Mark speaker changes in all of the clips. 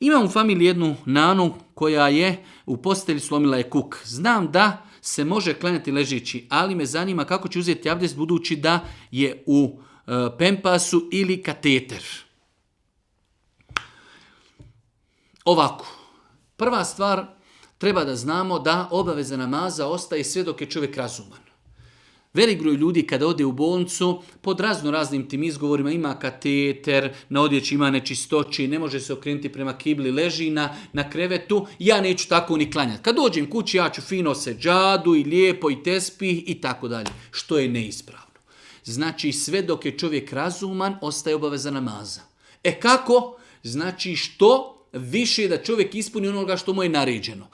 Speaker 1: Imam u familiji jednu nanu koja je u postelji slomila je kuk. Znam da se može klanjati ležeći, ali me zanima kako će uzeti abdest budući da je u pempasu ili kateter. Ovako, prva stvar, treba da znamo da obaveza namaza ostaje sve dok je čovjek razuman. Velik broj ljudi kada ode u bolnicu, pod raznim tim izgovorima, ima kateter, na odjeći ima nečistoći, ne može se okrenuti prema kibli, leži na krevetu, ja neću tako ni klanjati. Kad dođem kući, ja ću fino seđadu i lijepo i tespih i tako dalje, što je neispravno. Znači, sve dok je čovjek razuman, ostaje obaveza namaza. Kako? Znači, što više da čovjek ispuni onoga što mu je naređeno.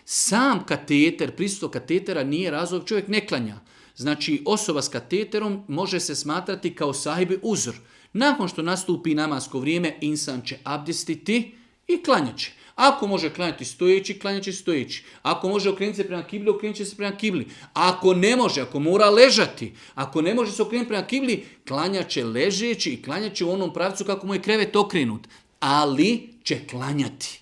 Speaker 1: Sam kateter, prisustvo katetera nije razlog, čovjek ne klanja. Znači, osoba s kateterom može se smatrati kao sahibi uzor. Nakon što nastupi namasko vrijeme, insan će abdestiti i klanjat će. Ako može klanjati stojeći, klanjat će stojeći. Ako može okrenuti se prema kibli, okrenut će se prema kibli. Ako ne može, ako mora ležati, ako ne može se okrenuti prema kibli, klanjat će ležeći i klanjat će u onom pravcu kako mu je krevet okrenut. Ali će klanjati.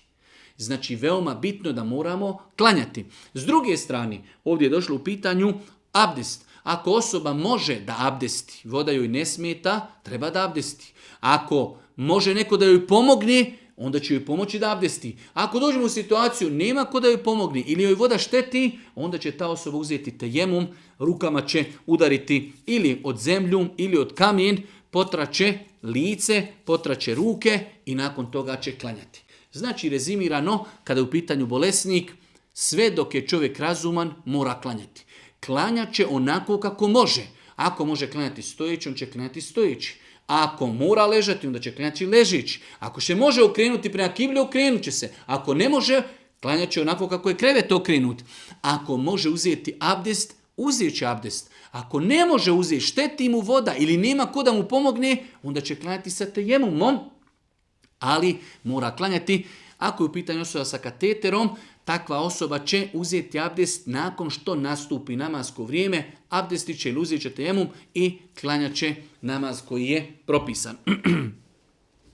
Speaker 1: Znači, veoma bitno da moramo klanjati. S druge strane, ovdje je došlo u pitanju abdest. Ako osoba može da abdesti, voda joj ne smeta, treba da abdesti. Ako može neko da joj pomogne, onda će joj pomoći da abdesti. Ako dođemo u situaciju, nema ko da joj pomogne ili joj voda šteti, onda će ta osoba uzeti tejemum, rukama će udariti ili od zemlju ili od kamen, potraće lice, potraće ruke i nakon toga će klanjati. Znači, rezimirano, kada je u pitanju bolesnik, sve dok je čovjek razuman, mora klanjati. Klanjat će onako kako može. Ako može klanjati stojeći, on će klanjati stojeći. Ako mora ležati, onda će klanjati ležeći. Ako se može okrenuti prema kibli, okrenut će se. Ako ne može, klanjat će onako kako je krevet okrenut. Ako može uzeti abdest, uzet će abdest. Ako ne može uzeti, šteti mu voda ili nema ko da mu pomogne, onda će klanjati sa tejemumom. Ali mora klanjati. Ako je u pitanju osoba sa kateterom, takva osoba će uzeti abdest nakon što nastupi namasko vrijeme, abdestit će ili uzet će tejemum i klanjat će namaz koji je propisan.